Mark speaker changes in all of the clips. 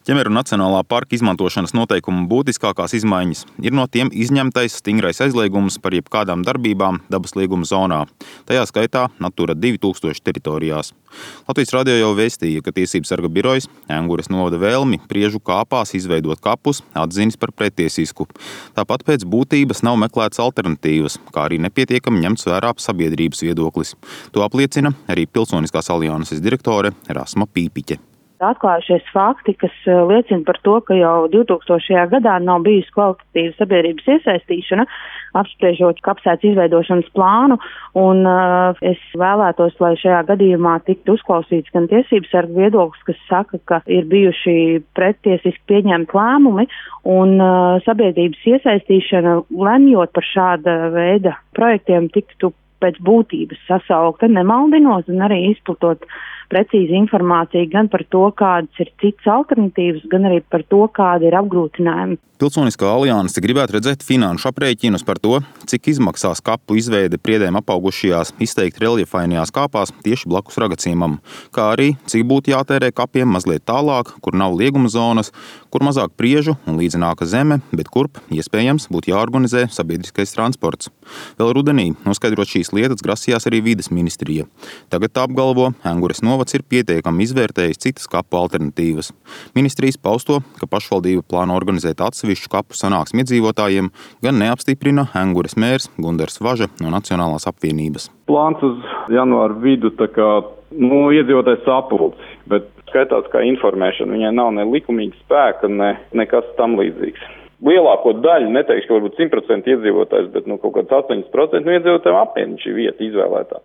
Speaker 1: Ķemeru Nacionālā parka izmantošanas noteikumu būtiskākās izmaiņas ir no tiem izņemtais stingrais aizliegums par jebkādām darbībām dabas lieguma zonā, tajā skaitā Natura 2000 teritorijās. Latvijas radio jau vēstīja, ka Tiesību sarga birojas Engures novada vēlmi Priežu kāpās izveidot kapus atzinis par pretiesisku. Tāpat pēc būtības nav meklētas alternatīvas, kā arī nepietiekami ņemts vērā sabiedrības viedoklis. To apliecina arī Pilsoniskās alianses direktore Rasma Pīpiķe.
Speaker 2: Atklājušies fakti, kas liecina par to, ka jau 2000. gadā nav bijusi kvalitatīva sabiedrības iesaistīšana, apspriežot kapsētas izveidošanas plānu, un es vēlētos, lai šajā gadījumā tiktu uzklausīts gan tiesības sarga viedoklis, kas saka, ka ir bijuši pretiesiski pieņemti lēmumi, un sabiedrības iesaistīšana, lemjot par šāda veida projektiem, tiktu pēc būtības sasaukta, nemaldinot un arī izplatot precīzi informāciju gan par to, kādas ir citas alternatīvas, gan arī par to, kādi ir apgrūtinājumi.
Speaker 1: Pilsoniskā alianse gribētu redzēt finanšu aprēķinus par to, cik izmaksās kapu izveide Priedēm apaugušajās, izteikti reljefainajās kāpās tieši blakus Ragaciemam, kā arī cik būtu jātērē kapiem mazliet tālāk, kur nav lieguma zonas, kur mazāk priežu un līdzenāka zeme, bet kurp, iespējams, būtu jāorganizē sabiedriskais transports. Vēl rudenī noskaidrot šīs lietas grasījās arī vides ministrija. Tagad tā apgalvo, Engures novads ir pietiekami izvērtējis citas kapu alternatīvas. Ministrijas pausto, ka pašvaldība plāno organizēt atsevišķu kapu sanāksmi iedzīvotājiem, gan neapstiprina Engures mērs Gundars Važa no Nacionālās apvienības.
Speaker 3: Plāns uz janvāra vidu iedzīvotājs sapulci, bet skaitās kā informēšana. Viņai nav ne likumīga spēka, nekas tam līdzīgs. Lielāko daļu, neteikšu, ka varbūt 100% iedzīvotājs, bet kaut kāds 80% no iedzīvotājiem apviena šī vieta izvēlētā.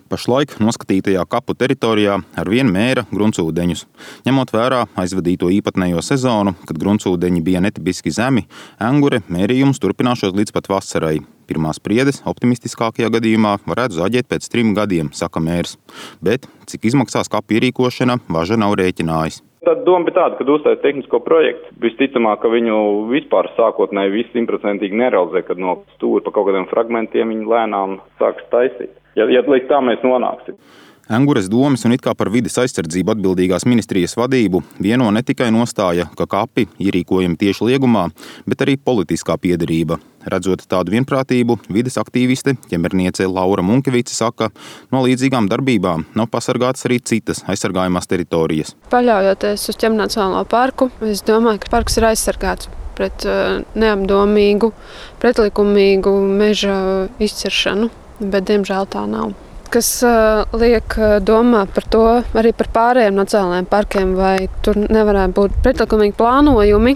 Speaker 1: Pašlaik noskatītajā kapu teritorijā ar vienu mēra gruntsūdeņus. Ņemot vērā aizvadīto īpatnējo sezonu, kad gruntsūdeņi bija netipiski zemi, Engure mērījums turpināšos līdz pat vasarai. Pirmās priedes optimistiskākajā gadījumā varētu zaģēt pēc 3 gadiem, saka mērs. Bet cik izmaksās kapu ierīkošana, Važa nav rēķinājis.
Speaker 3: Tad doma bija tāda, kad uzstājas tehnisko projektu. Visticamāk, ka viņu vispār sākotnēji viss 100% nerealizē, kad no stūra pa kaut kādiem fragmentiem viņi lēnām sāks taisīt. Ja līdz tā mēs nonāksim.
Speaker 1: Engures domes un it kā par vides aizsardzību atbildīgās ministrijas vadību vieno ne tikai nostāja, ka kapi ierīkojami tieši liegumā, bet arī politiskā piederība. Redzot tādu vienprātību, vides aktīviste, ķemerniece Laura Munkevice saka, no līdzīgām darbībām nav pasargātas arī citas aizsargājumās teritorijas.
Speaker 4: Paļaujoties uz Ķemeru Nacionālo parku, es domāju, ka parks ir aizsargāts pret neapdomīgu, pretlikumīgu meža izciršanu, bet diemžēl tā nav. Kas liek domāt par to arī par pārējiem nacionālajiem parkiem, vai tur nevarētu būt pretlikumīgi plānojumi,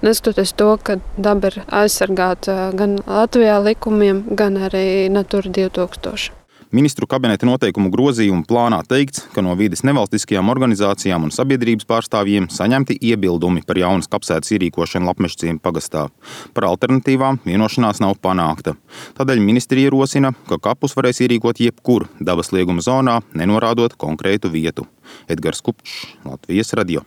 Speaker 4: neskatoties to, ka daba ir aizsargāta gan Latvijā likumiem, gan arī Natura 2000.
Speaker 1: Ministru kabineta noteikumu grozījumu plānā teikts, ka no vides nevalstiskajām organizācijām un sabiedrības pārstāvjiem saņemti iebildumi par jaunas kapsētas ierīkošanu Lapmežciema pagastā. Par alternatīvām vienošanās nav panākta. Tādēļ ministrija ierosina, ka kapus varēs ierīkot jebkur dabas lieguma zonā, nenorādot konkrētu vietu. Edgars Kupčs, Latvijas radio.